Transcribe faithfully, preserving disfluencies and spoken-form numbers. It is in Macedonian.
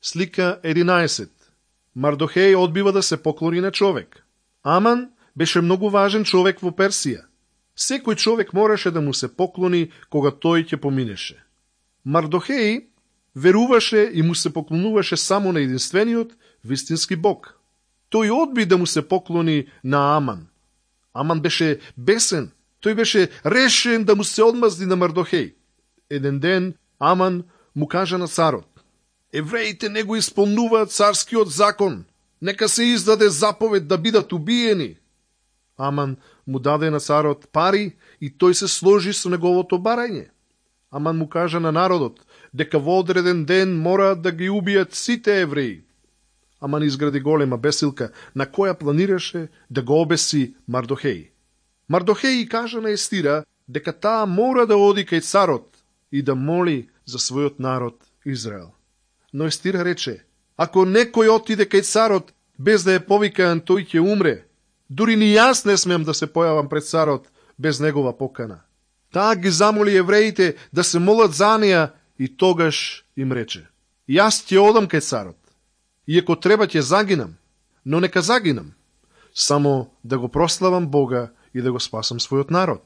Слика единаесет. Мардохеј одбива да се поклони на човек. Аман беше многу важен човек во Персија. Секој човек мораше да му се поклони кога тој ќе поминеше. Мардохеј веруваше и му се поклонуваше само на единствениот вистински Бог. Тој одби да му се поклони на Аман. Аман беше бесен. Тој беше решен да му се одмазди на Мардохеј. Еден ден Аман му кажа на царот: евреите не го исполнуваат царскиот закон. Нека се издаде заповед да бидат убиени. Аман му даде на царот пари и тој се сложи со неговото барање. Аман му кажа на народот дека во одреден ден мора да ги убијат сите евреи. Аман изгради голема бесилка на која планираше да го обеси Мардохеј. Мардохеј кажа на Естира дека таа мора да оди кај царот и да моли за својот народ Израел. Но Естира рече: ако некој отиде кај царот без да е повикан, тој ќе умре. Дури ни јас не смеам да се појавам пред царот без негова покана. Таа ги замоли евреите да се молат за неја и тогаш им рече: јас ќе одам кај царот. И ако треба ќе загинам, но нека загинам, само да го прославам Бога и да го спасам својот народ.